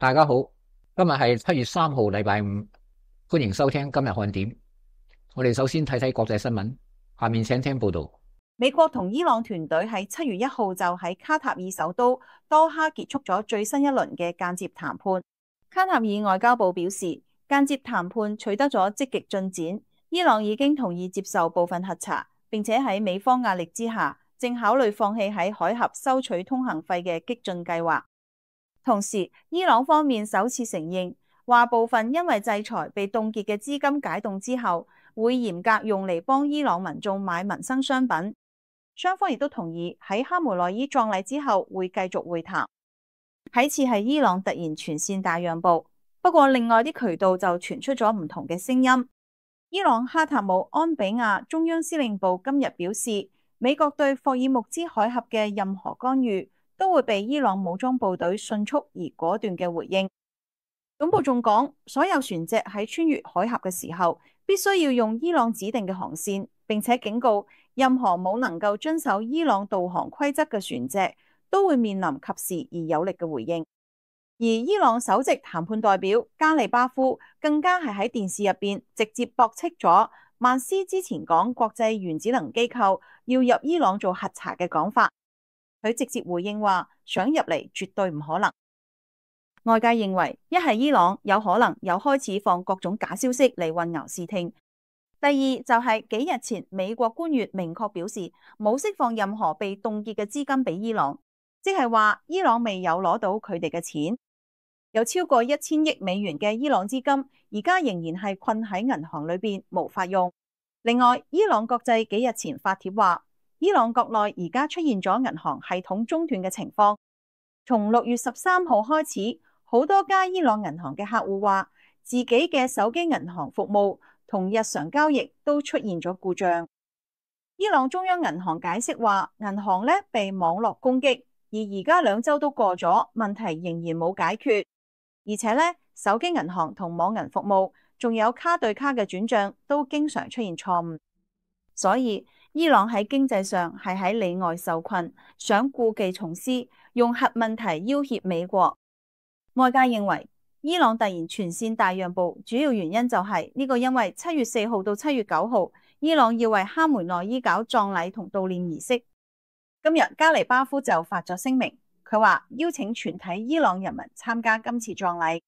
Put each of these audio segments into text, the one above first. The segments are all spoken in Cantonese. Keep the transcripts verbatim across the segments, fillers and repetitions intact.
大家好，今日係七月三號，禮拜五，歡迎收聽今日看點。我哋首先睇睇國際新聞，下面請聽報道。美國同伊朗團隊喺七月一號就喺卡塔爾首都多哈結束咗最新一輪嘅間接談判。卡塔爾外交部表示，間接談判取得咗積極進展，伊朗已經同意接受部分核查，並且喺美方壓力之下，正考慮放棄喺海峽收取通行費嘅激進計劃。同時，伊朗方面首次承認，話部分因為制裁被凍結嘅資金解凍之後，會嚴格用嚟幫伊朗民眾買民生商品。雙方亦都同意喺哈梅內伊葬禮之後會繼續會談。睇似係伊朗突然全線大讓步，不過另外啲渠道就傳出咗唔同嘅聲音。伊朗哈塔姆安比亞中央司令部今日表示，美國對霍爾木茲海峽嘅任何干預都會被伊朗武裝部隊迅速而果斷嘅回應。總部仲講，所有船隻喺穿越海峽嘅時候，必須要用伊朗指定嘅航線，並且警告任何冇能夠遵守伊朗導航規則嘅船隻都會面臨及時而有力嘅回應。而伊朗首席談判代表加利巴夫更加係喺電視入邊直接駁斥咗曼斯之前講國際原子能機構要入伊朗做核查嘅講法。佢直接回應話，想入嚟絕對唔可能。外界認為，一係伊朗有可能又開始放各種假消息嚟混淆視聽。第二就係幾日前美國官員明確表示冇釋放任何被凍結嘅資金俾伊朗，即係話伊朗未有攞到佢哋嘅錢。有超過一千億美元嘅伊朗資金而家仍然係困喺銀行裏邊無法用。另外，伊朗國際幾日前發帖話，伊朗國內而家出現咗銀行系統中斷嘅情況。從六月十三號開始，好多家伊朗銀行嘅客戶話，自己嘅手機銀行服務同日常交易都出現咗故障。伊朗中央銀行解釋話，銀行咧被網絡攻擊，而而家兩週都過咗，問題仍然冇解決。而且咧，手機銀行同網銀服務，仲有卡對卡嘅轉賬都經常出現錯誤。所以伊朗喺經濟上係喺裏外受困，想故技重施，用核問題要挾美國。外界認為伊朗突然全線大讓步，主要原因就係呢個，因為七月四號到七月九號，伊朗要為哈梅內伊搞葬禮同悼念儀式。今日加尼巴夫就發咗聲明，佢話邀請全體伊朗人民參加今次葬禮。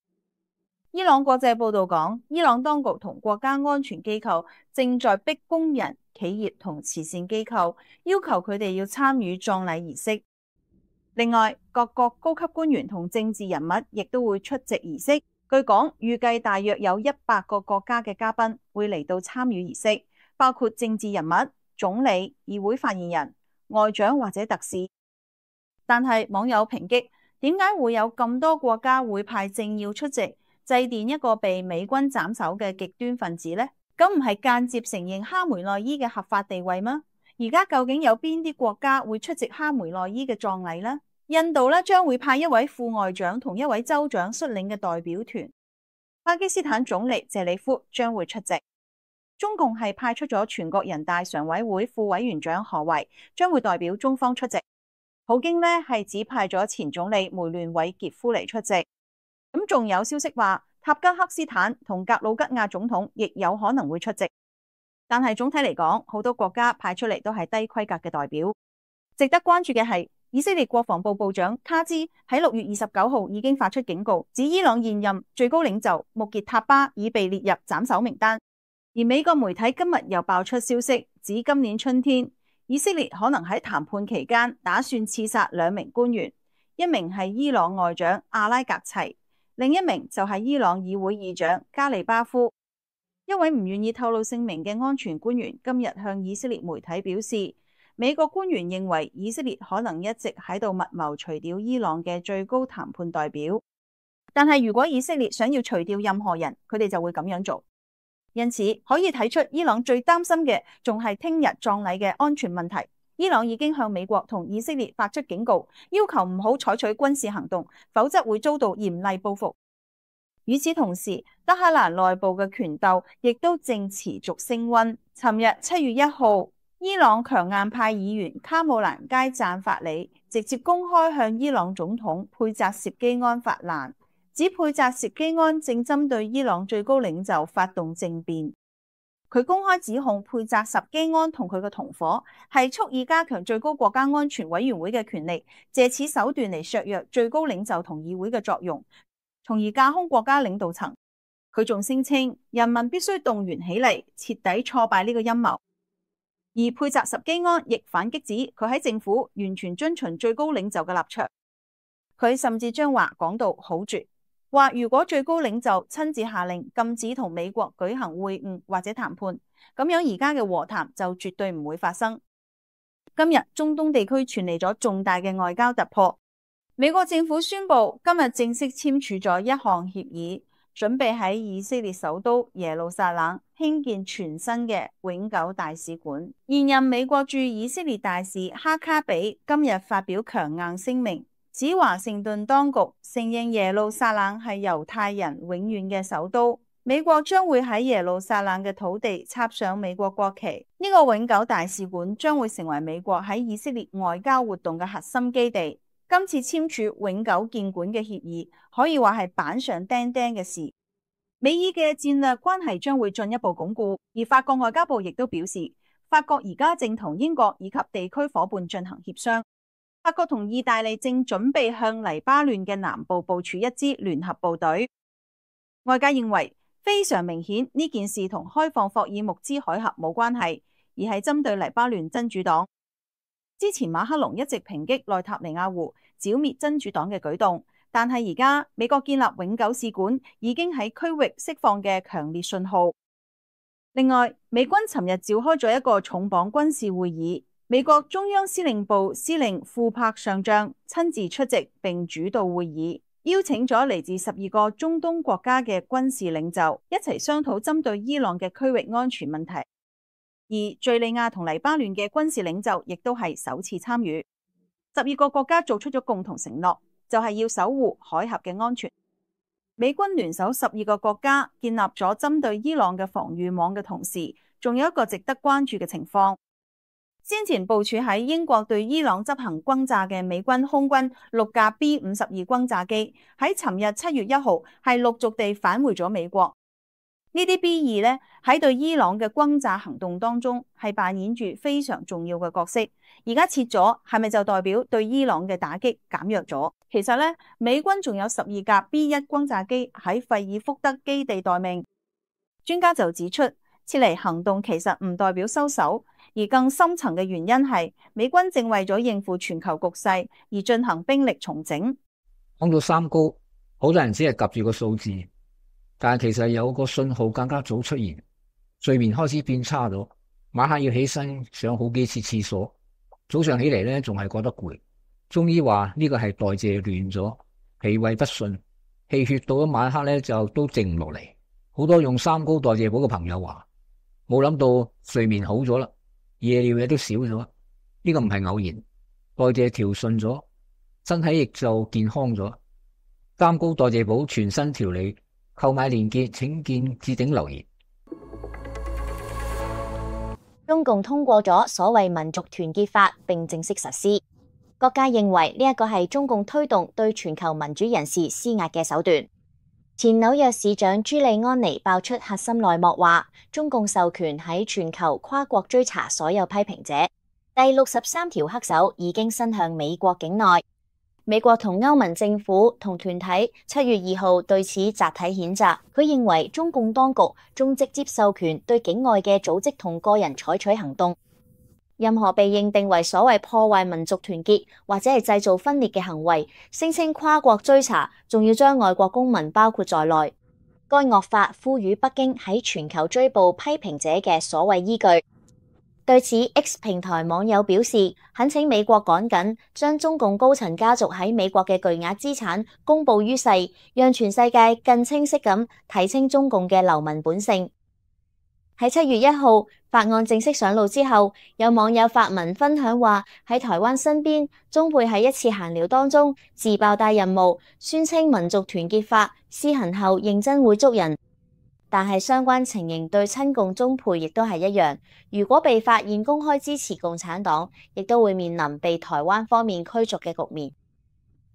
伊朗國際報道講，伊朗當局同國家安全機構正在逼工人、企業同慈善機構，要求佢哋要參與葬禮儀式。另外，各國高級官員同政治人物亦都會出席儀式。據講，預計大約有一百個國家嘅嘉賓會嚟到參與儀式，包括政治人物、總理、議會發言人、外長或者特使。但係網友抨擊，點解會有咁多國家會派政要出席，祭奠一個被美軍斬首嘅極端分子呢？咁唔係間接承認哈梅內伊嘅合法地位嗎？而家究竟有邊啲國家會出席哈梅內伊嘅葬禮呢？印度咧將會派一位副外長同一位州長率領嘅代表團。巴基斯坦總理謝里夫將會出席。中共係派出咗全國人大常委會副委員長何為，將會代表中方出席。普京呢係指派咗前總理梅聯韋傑夫嚟出席。咁仲有消息話，塔吉克斯坦同格魯吉亞總統亦有可能會出席。但係總體嚟講，好多國家派出嚟都係低規格嘅代表。值得關注嘅係，以色列國防部部長卡茲喺六月二十九號已經發出警告，指伊朗現任最高領袖穆傑塔巴已被列入斬首名單。而美國媒體今日又爆出消息，指今年春天以色列可能喺談判期間打算刺殺兩名官員，一名係伊朗外長阿拉格齊，另一名就係伊朗議會議長加利巴夫。一位唔願意透露姓名嘅安全官員今日向以色列媒體表示，美國官員認為以色列可能一直喺度密謀除掉伊朗嘅最高談判代表，但係如果以色列想要除掉任何人，佢哋就會咁樣做。因此可以睇出伊朗最擔心嘅仲係聽日葬禮嘅安全問題。伊朗已經向美國同以色列發出警告，要求唔好採取軍事行動，否則會遭到嚴厲報復。與此同時，德黑蘭內部嘅權鬥亦都正持續升溫。尋日七月一號，伊朗強硬派議員卡姆蘭佳贊法里直接公開向伊朗總統佩扎涉基安發難，指佩扎什基安正針對伊朗最高領袖發動政變。佢公開指控佩扎什基安同佢嘅同夥係蓄意加強最高國家安全委員會嘅權力，借此手段嚟削弱最高領袖同議會嘅作用，從而架空國家領導層。佢仲聲稱人民必須動員起嚟，徹底挫敗呢個陰謀。而佩扎什基安亦反擊指佢喺政府完全遵循最高領袖嘅立場。佢甚至將話講到好絕，話如果最高領袖親自下令禁止同美國舉行會晤或者談判，咁樣而家嘅和談就絕對唔會發生。今日中東地區傳嚟咗重大嘅外交突破，美國政府宣布今日正式簽署咗一項協議，準備喺以色列首都耶路撒冷興建全新嘅永久大使館。現任美國駐以色列大使哈卡比今日發表強硬聲明，指華盛頓當局承認耶路撒冷係猶太人永遠嘅首都，美國將會喺耶路撒冷嘅土地插上美國國旗。呢個永久大使館將會成為美國喺以色列外交活動嘅核心基地。今次簽署永久建館嘅協議，可以話係板上釘釘嘅事。美以嘅戰略關係將會進一步鞏固，而法國外交部亦都表示，法國而家正同英國以及地區夥伴進行協商。法國同意大利正準備向黎巴嫩嘅南部部署一支聯合部隊。外界認為非常明顯呢件事同開放霍爾木茲海峽冇關係，而係針對黎巴嫩真主黨。之前馬克龍一直抨擊內塔尼亞胡剿滅真主黨嘅舉動，但係而家美國建立永久使館已經喺區域釋放嘅強烈信號。另外，美軍尋日召開咗一個重磅軍事會議，美國中央司令部司令庫珀上將親自出席並主導會議，邀請咗嚟自十二個中東國家嘅軍事領袖一齊商討針對伊朗嘅區域安全問題。而敘利亞同黎巴嫩嘅軍事領袖亦都係首次參與。十二個國家做出咗共同承諾，就係要守護海峽嘅安全。美軍聯手十二個國家建立咗針對伊朗嘅防禦網嘅同時，仲有一個值得關注嘅情況。先前部署喺英國對伊朗執行轟炸嘅美軍空軍六架 B 五十二轟炸機，喺尋日七月一號係陸續地返回咗美國。呢啲 B 二呢喺對伊朗嘅轟炸行動當中係扮演住非常重要嘅角色。而家撤咗，係咪就代表對伊朗嘅打擊減弱咗？其實呢，美軍仲有十二架 B 一轟炸機喺費爾福德基地待命。專家就指出，撤離行動其實唔代表收手，而更深層嘅原因係美軍正為咗應付全球局勢而進行兵力重整。講到三高，好多人只係及住個數字，但係其實有個信號更加早出現，睡眠開始變差咗，晚黑要起身上好幾次廁所，早上起嚟咧仲係覺得攰。中醫話呢個係代謝亂咗，脾胃不順，氣血到咗晚黑咧就都靜唔落嚟。好多用三高代謝補嘅朋友話，冇諗到睡眠好咗啦，夜尿嘢都少咗。呢個唔係偶然，代謝調順咗，身體亦就健康咗。三高代謝補全新調理，購買鏈接請見置頂留言。中共通過咗所謂民族團結法並正式實施，各界認為呢一個係中共推動對全球民主人士施壓嘅手段。前紐約市長朱利安尼爆出核心內幕，話中共授權喺全球跨國追查所有批評者，第六十三條黑手已經伸向美國境內。美國同歐盟政府同團體七月二號對此集體譴責，佢認為中共當局仲直接授權對境外嘅組織同個人採取行動，任何被認定為所謂破壞民族團結或者係製造分裂嘅行為，聲稱跨國追查，仲要將外國公民包括在內。該惡法賦予北京喺全球追捕批評者嘅所謂依據。對此 X 平台網友表示，懇請美國趕緊將中共高層家族喺美國嘅巨額資產公布於世，讓全世界更清晰咁睇清中共嘅流氓本性。喺七月一號法案正式上路之後，有網友發文分享話喺台灣身邊，中配喺一次閒聊當中自爆大任務，宣稱民族團結法施行後認真會捉人。但係相關情形對親共中配亦都係一樣，如果被發現公開支持共產黨，亦都會面臨被台灣方面驅逐嘅局面。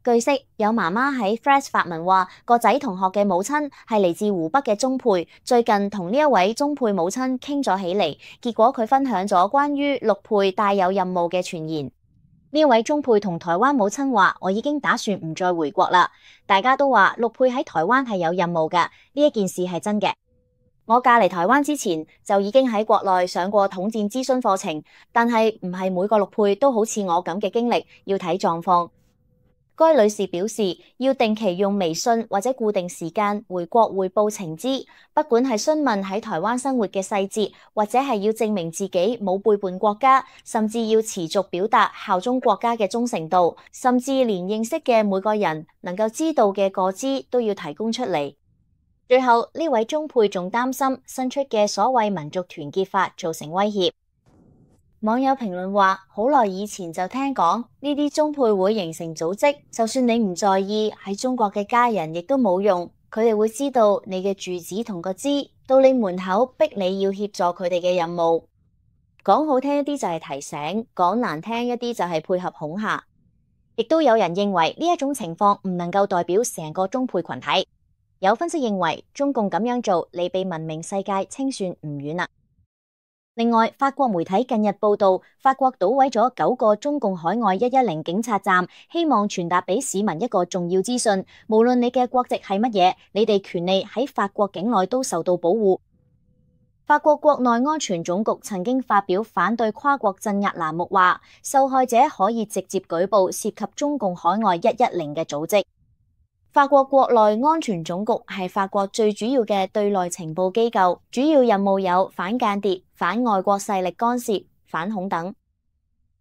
據悉，有媽媽喺 Threads 發文話，個仔同學嘅母親係嚟自湖北嘅中配，最近同呢一位中配母親傾咗起嚟，結果佢分享咗關於陸配帶有任務嘅傳言。呢位中配同台灣母親話：我已經打算唔再回國啦。大家都話陸配喺台灣係有任務㗎，呢一件事係真嘅。我嫁嚟台灣之前就已經喺國內上過統戰諮詢課程，但係唔係每個陸配都好似我咁嘅經歷，要睇狀況。該女士表示，要定期用微信或者固定時間回國匯報情資，不管係詢問喺台灣生活嘅細節，或者係要證明自己冇背叛國家，甚至要持續表達效忠國家嘅忠誠度，甚至連認識嘅每個人能夠知道嘅個資都要提供出嚟。最後呢位中配仲擔心新出嘅所謂民族團結法造成威脅。網友評論話：好耐以前就聽講呢啲中配會形成組織，就算你唔在意，喺中國嘅家人亦都冇用，佢哋會知道你嘅住址同個資，到你門口逼你要協助佢哋嘅任務。講好聽一啲就係提醒，講難聽一啲就係配合恐嚇。亦都有人認為呢一種情況唔能夠代表成個中配群體。有分析認為，中共咁樣做離被文明世界清算唔遠啦。另外，法國媒體近日報道，法國搗毀咗九個中共海外一一零警察站，希望傳達俾市民一個重要資訊：無論你嘅國籍係乜嘢，你哋權利喺法國境內都受到保護。法國國內安全總局曾經發表反對跨國鎮壓欄目，話受害者可以直接舉報涉及中共海外一一零嘅組織。法國國內安全總局係法國最主要嘅對內情報機構，主要任務有反間諜、反外國勢力干涉、反恐等。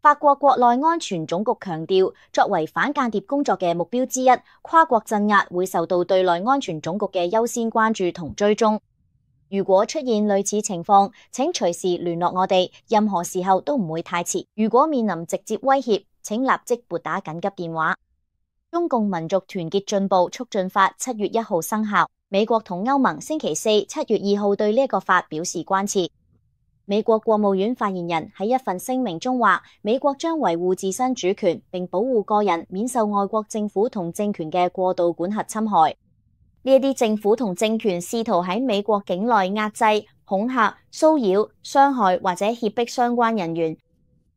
法國國內安全總局強調，作為反間諜工作嘅目標之一，跨國鎮壓會受到對內安全總局嘅優先關注同追蹤。如果出現類似情況，請隨時聯絡我哋，任何時候都唔會太遲。如果面臨直接威脅，請立即撥打緊急電話。中共民族團結進步促進法七月一號生效，美國同歐盟星期四七月二號對呢一個法表示關切。美國國務院發言人喺一份聲明中話，美國將維護自身主權，並保護個人免受外國政府同政權嘅過度管轄侵害。呢一啲政府同政權試圖喺美國境內壓制、恐嚇、騷擾、傷害或者脅迫相關人員。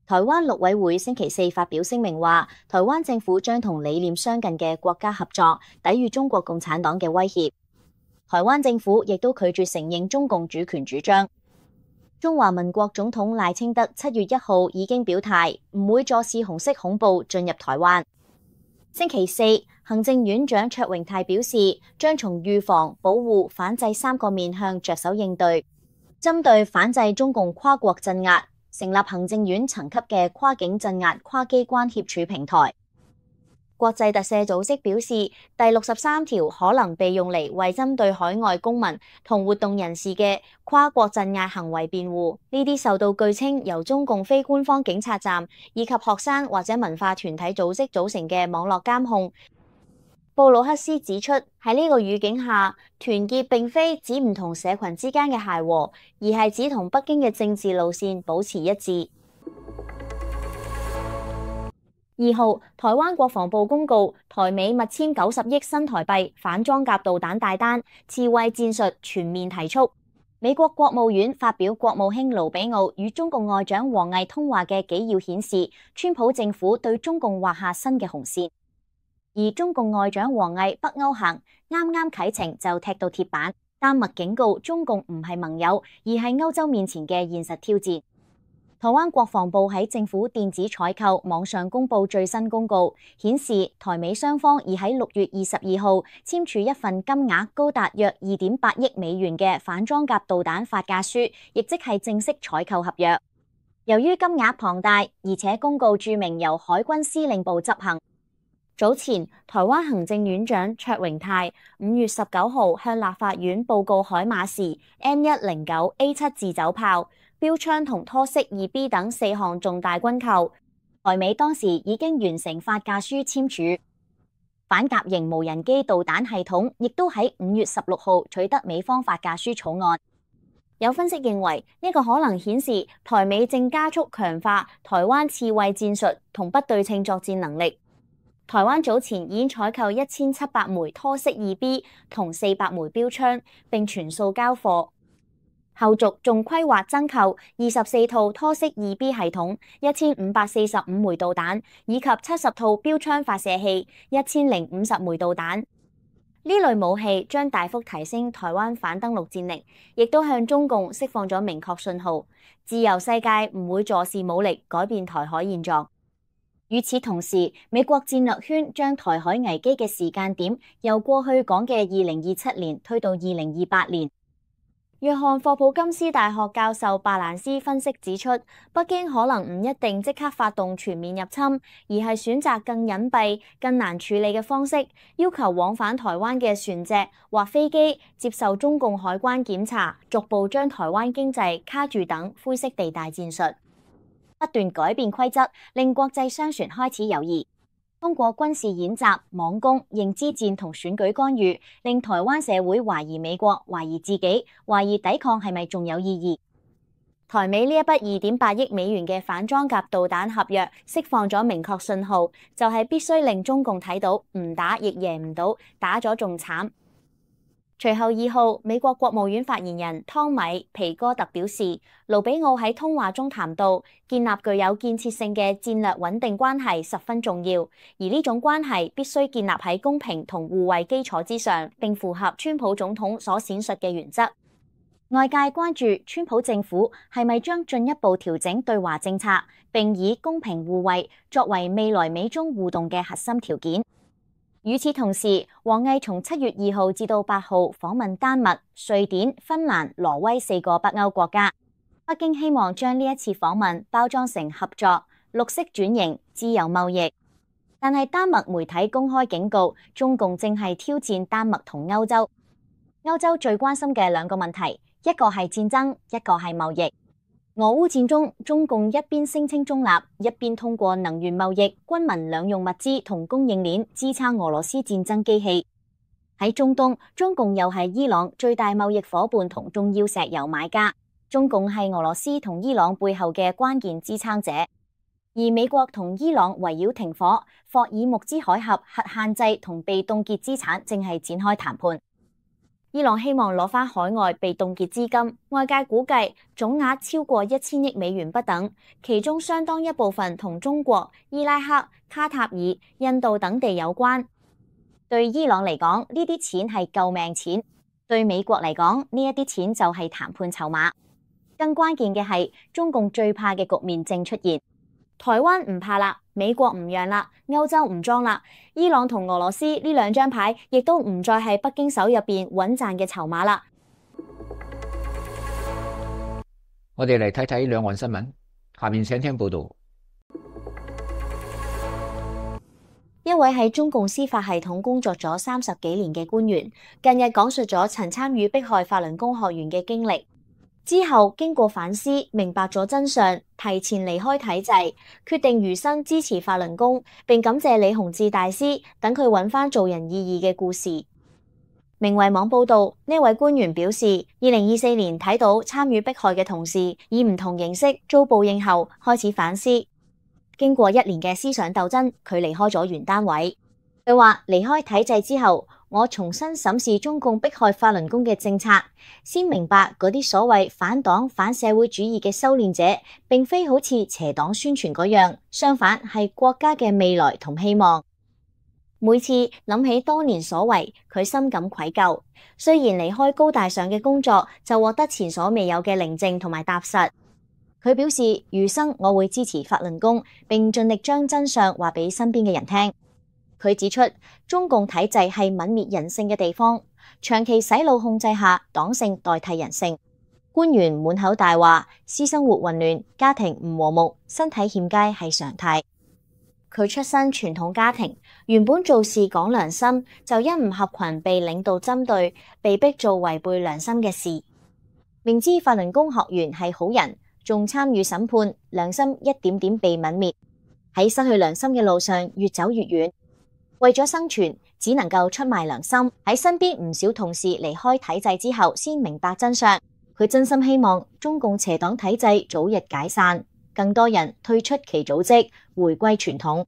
台灣陸委會星期四發表聲明話，台灣政府將同理念相近嘅國家合作，抵禦中國共產黨嘅威脅。台灣政府亦都拒絕承認中共主權主張。中華民國總統賴清德七月一號已經表態，唔會坐視紅色恐怖進入台灣。星期四，行政院長卓榮泰表示，將從預防、保護、反制三個面向着手應對，針對反制中共跨國鎮壓，成立行政院層級嘅跨境鎮壓跨機關協處平台。國際特赦組織表示，第六十三條可能被用嚟為針對海外公民同活動人士嘅跨國鎮壓行為辯護。呢啲受到據稱由中共非官方警察站以及學生或者文化團體組織組成嘅網絡監控。布魯克斯指出，喺呢個語境下，團結並非指唔同社群之間嘅諧和，而係指同北京嘅政治路線保持一致。二號，台灣國防部公告，台美密簽九十億新台幣反裝甲導彈大單，刺蝟戰術全面提速。美國國務院發表國務卿盧比奧與中共外長王毅通話嘅紀要顯示，川普政府對中共畫下新嘅紅線。而中共外長王毅北歐行啱啱啟程就踢到鐵板，丹麥警告中共唔係盟友，而係歐洲面前嘅現實挑戰。台灣國防部喺政府電子採購網上公布最新公告，顯示台美雙方已喺六月二十二號簽署一份金額高達約二點八億美元嘅反裝甲導彈發價書，亦即係正式採購合約。由於金額龐大，而且公告註明由海軍司令部執行。早前，台灣行政院長卓榮泰五月十九號向立法院報告海馬時 M 一零九 A 七自走炮、標槍同拖式二 B 等四項重大軍購，台美當時已經完成發價書簽署。反甲型無人機導彈系統亦都喺五月十六號取得美方發價書草案。有分析認為，呢個可能顯示台美正加速強化台灣刺蝟戰術同不對稱作戰能力。台灣早前已經採購一千七百枚拖式二 B 同四百枚標槍，並全數交貨。後續仲規劃增購二十四套拖式二 B 系統、一千五百四十五枚導彈，以及七十套標槍發射器、一千零五十枚導彈。呢類武器將大幅提升台灣反登陸戰力，亦都向中共釋放咗明確信號：自由世界唔會坐視武力改變台海現狀。與此同時，美國戰略圈將台海危機嘅時間點由過去講嘅二零二七年推到二零二八年。約翰霍普金斯大學教授巴蘭斯分析指出，北京可能唔一定即刻發動全面入侵，而係選擇更隱蔽、更難處理嘅方式，要求往返台灣嘅船隻或飛機接受中共海關檢查，逐步將台灣經濟卡住等灰色地帶戰術。不斷改變規則，令國際商船開始猶豫。通過軍事演習、網攻、認知戰同選舉干預，令台灣社會懷疑美國、懷疑自己、懷疑抵抗係咪仲有意義。台美呢一筆二點八億美元嘅反裝甲導彈合約釋放咗明確信號，就係必須令中共睇到唔打亦贏唔到，打咗仲慘。隨後二號，美國國務院發言人湯米皮哥特表示，盧比奧喺通話中談到，建立具有建設性嘅戰略穩定關係十分重要，而呢種關係必須建立喺公平同互惠基礎之上，並符合川普總統所闡述嘅原則。外界關注川普政府係咪將進一步調整對華政策，並以公平互惠作為未來美中互動嘅核心條件。與此同時，王毅從七月二號至到八號訪問丹麥、瑞典、芬蘭、挪威四個北歐國家。北京希望將呢一次訪問包裝成合作、綠色轉型、自由貿易。但係丹麥媒體公開警告，中共正係挑戰丹麥同歐洲。歐洲最關心嘅兩個問題，一個係戰爭，一個係貿易。俄烏戰中，中共一邊聲稱中立，一邊通過能源貿易、軍民兩用物資同供應鏈支撐俄羅斯戰爭機器。喺中東，中共又係伊朗最大貿易夥伴同重要石油買家。中共係俄羅斯同伊朗背後嘅關鍵支撐者。而美國同伊朗圍繞停火、霍爾木茲海峽核限制同被凍結資產正係展開談判。伊朗希望攞返海外被凍結資金，外界估計總額超過一千億美元不等，其中相當一部分同中國、伊拉克、卡塔爾、印度等地有關。對伊朗嚟講，呢啲錢係救命錢；對美國嚟講，呢一啲錢就係談判籌碼。更關鍵嘅係，中共最怕嘅局面正出現。台灣唔怕啦，美國唔讓啦，歐洲唔裝啦，伊朗同俄羅斯呢兩張牌亦都唔再係北京手入邊穩賺嘅籌碼啦。我哋嚟睇睇兩岸新聞，下面請聽報道。一位喺中共司法系統工作咗三十幾年嘅官員，近日講述咗曾參與迫害法輪功學員嘅經歷。之後經過反思，明白咗真相，提前離開體制，決定餘生支持法輪功，並感謝李洪志大師等佢揾返做人意義嘅故事。明慧網報道，呢位官員表示，二零二四年睇到參與迫害嘅同事以唔同形式遭報應後，開始反思。經過一年嘅思想鬥爭，佢離開咗原單位。佢話離開體制之後，我重新審視中共迫害法輪功嘅政策，先明白嗰啲所謂反黨反社會主義嘅修煉者，並非好似邪黨宣傳嗰樣，相反係國家嘅未來同希望。每次諗起當年所為，佢深感愧疚。雖然離開高大上嘅工作，就獲得前所未有嘅寧靜同埋踏實。佢表示餘生我會支持法輪功，並盡力將真相話俾身邊嘅人聽。佢指出，中共體制係泯滅人性嘅地方，長期洗腦控制下，黨性代替人性。官員滿口大話，私生活混亂，家庭唔和睦，身體欠佳係常態。佢出身傳統家庭，原本做事講良心，就因唔合群被領導針對，被逼做違背良心嘅事。明知法輪功學員係好人，仲參與審判，良心一點點被泯滅，喺失去良心嘅路上越走越遠。為咗生存，只能夠出賣良心。喺身邊唔少同事離開體制之後，先明白真相。佢真心希望中共邪黨體制早日解散，更多人退出其組織，回歸傳統。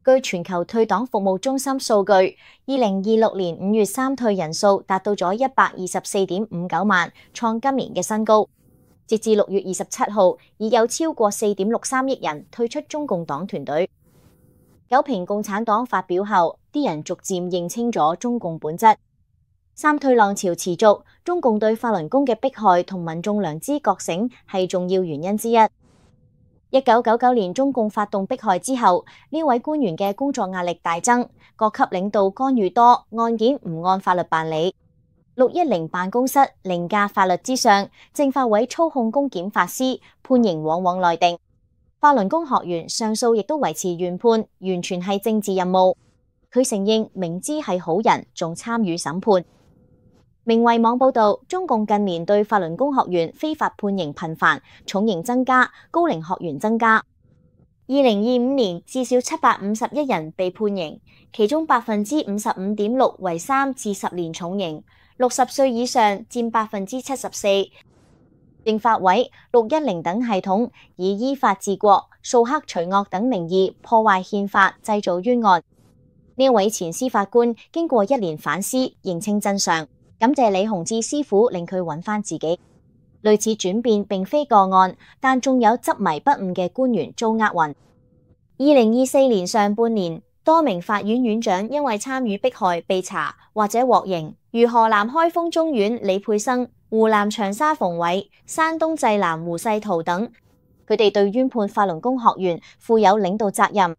據全球退黨服務中心數據，二零二六年五月三退人數達到咗一百二十四點五九萬，創今年嘅新高。截至六月二十七號，已有超過四點六三億人退出中共黨團隊。九評共產黨發表後，啲人逐漸認清咗中共本質。三退浪潮持續，中共對法輪功嘅迫害同民眾良知覺醒係重要原因之一。一九九九年中共發動迫害之後，呢位官員嘅工作壓力大增，各級領導干預多，案件唔按法律辦理。六一零辦公室凌駕法律之上，政法委操控公檢法司，判刑往往內定。法輪功學員上訴亦都維持原判，完全係政治任務。佢承認明知係好人，仲參與審判。明慧網報道，中共近年對法輪功學員非法判刑頻繁，重刑增加，高齡學員增加。二零二五年至少七百五十一人被判刑，其中百分之五十五點六為三至十年重刑，六十歲以上佔百分之七十四。政法委、六一零等系統以依法治國、掃黑除惡等名義破壞憲法，製造冤案。呢位前司法官經過一年反思，認清真相。感謝李洪志師傅令佢揾返自己。類似轉變並非個案，但仲有執迷不悟嘅官員遭厄運。二零二四年上半年，多名法院院長因為參與迫害被查或者獲刑，如河南開封中院李佩生、湖南長沙馮偉、山東濟南胡世濤等，佢哋對冤判法輪功學員負有領導責任。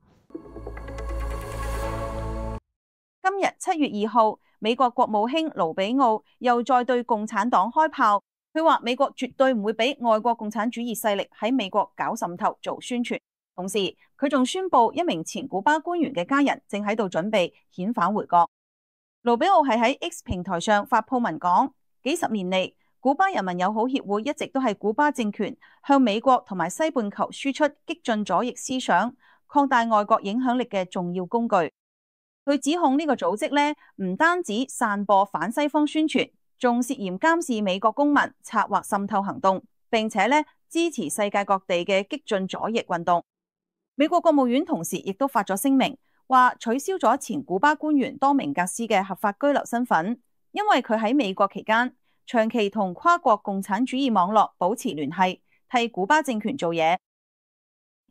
今日七月二號，美國國務卿盧比奧又再對共產黨開炮，佢話美國絕對唔會俾外國共產主義勢力喺美國搞滲透做宣傳。同時，佢仲宣布一名前古巴官員嘅家人正喺度準備遣返回國。盧比奧係喺 X 平台上發佈文講，幾十年嚟，古巴人民友好協會一直都係古巴政權向美國同埋西半球輸出激進左翼思想、擴大外國影響力嘅重要工具。佢指控呢個組織呢，唔單止散播反西方宣傳，仲涉嫌監視美國公民，策劃滲透行動，並且呢支持世界各地嘅激進左翼運動。美國國務院同時亦都發咗聲明，話取消咗前古巴官員多明格斯嘅合法居留身份，因為佢喺美國期間長期同跨國共產主義網絡保持聯繫，替古巴政權做嘢。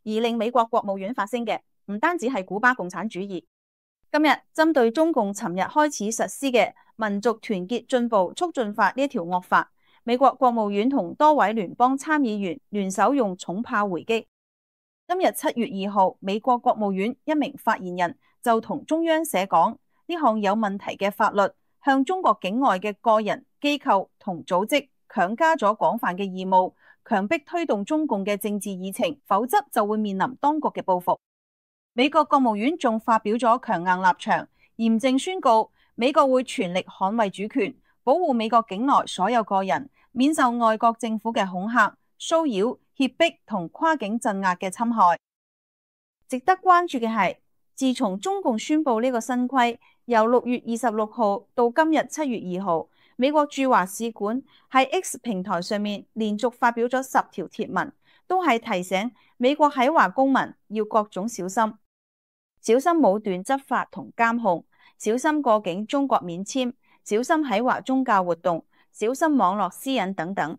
而令美國國務院發聲嘅，唔單止係古巴共產主義。今日針對中共尋日開始實施嘅民族團結進步促進法呢一條惡法，美國國務院同多位聯邦參議員聯手用重炮回擊。今日七月二號，美國國務院一名發言人就同中央社講，呢項有問題嘅法律向中國境外嘅個人、機構同組織強加咗廣泛嘅義務，強迫推動中共嘅政治議程，否則就會面臨當局嘅報復。美國國務院仲發表咗強硬立場，嚴正宣告美國會全力捍衛主權，保護美國境內所有個人，免受外國政府嘅恐嚇、騷擾、脅迫同跨境鎮壓嘅侵害。值得關注嘅係，自從中共宣布呢個新規，由六月二十六號到今日七月二號，美國駐華使館喺 X 平台上面連續發表咗十條貼文，都係提醒美國喺華公民要各種小心。小心武斷執法同監控，小心過境中國免簽，小心喺華宗教活動，小心網絡私隱等等。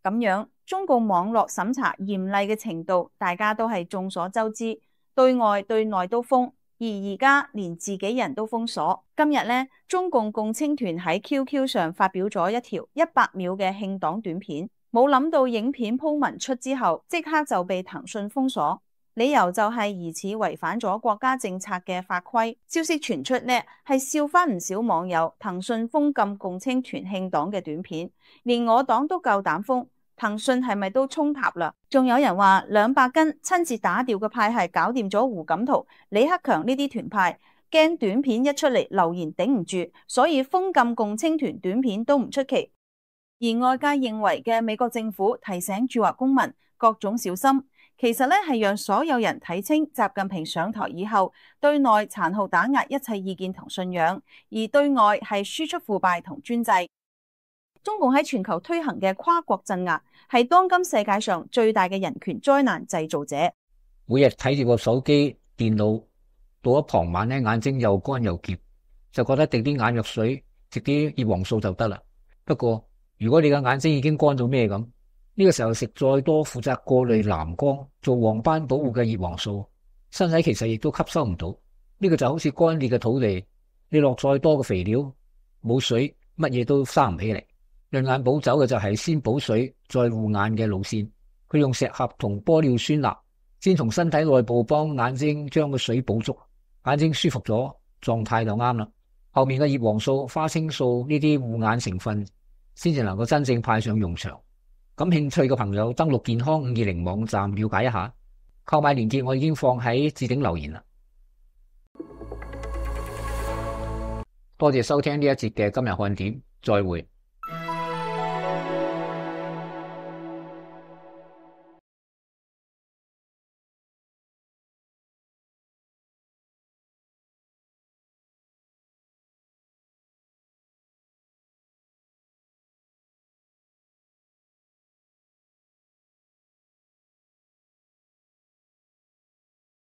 咁樣，中共網絡審查嚴厲嘅程度，大家都係眾所周知，對外對內都封，而而家連自己人都封鎖。今日呢，中共共青團喺 Q Q 上發表咗一條一百秒嘅慶黨短片，冇諗到影片鋪文出之後，即刻就被騰訊封鎖。理由就係疑似違反咗國家政策嘅法規。消息傳出呢，係笑翻唔少網友騰訊封禁共青團慶黨嘅短片，連我黨都夠膽封，騰訊係咪都衝塔啦？仲有人話兩百斤親自打掉嘅派系搞掂咗胡錦濤、李克強呢啲團派，驚短片一出嚟留言頂唔住，所以封禁共青團短片都唔出奇。而外界認為嘅美國政府提醒駐華公民各種小心，其實咧係讓所有人睇清習近平上台以後對內殘酷打壓一切意見同信仰，而對外係輸出腐敗同專制。中共喺全球推行嘅跨國鎮壓係當今世界上最大嘅人權災難製造者。每日睇住個手機、電腦到咗傍晚咧，眼睛又乾又澀，就覺得滴啲眼藥水，滴啲葉黃素就得啦。不過如果你嘅眼睛已經乾到咩咁，呢個時候食再多負責過濾藍光、做黃斑保護嘅葉黃素，身體其實亦都吸收唔到。呢個就好似乾裂嘅土地，你落再多嘅肥料，冇水，乜嘢都生唔起嚟。潤眼補走嘅就係先補水再護眼嘅路線，佢用石斛同玻尿酸鈉，先從身體內部幫眼睛將個水補足，眼睛舒服咗，狀態就啱啦。後面嘅葉黃素、花青素呢啲護眼成分，先至能夠真正派上用場。感興趣嘅朋友登錄健康五二零網站了解一下，購買鏈接我已經放喺置頂留言啦。多謝收聽呢一節嘅今日看點，再會。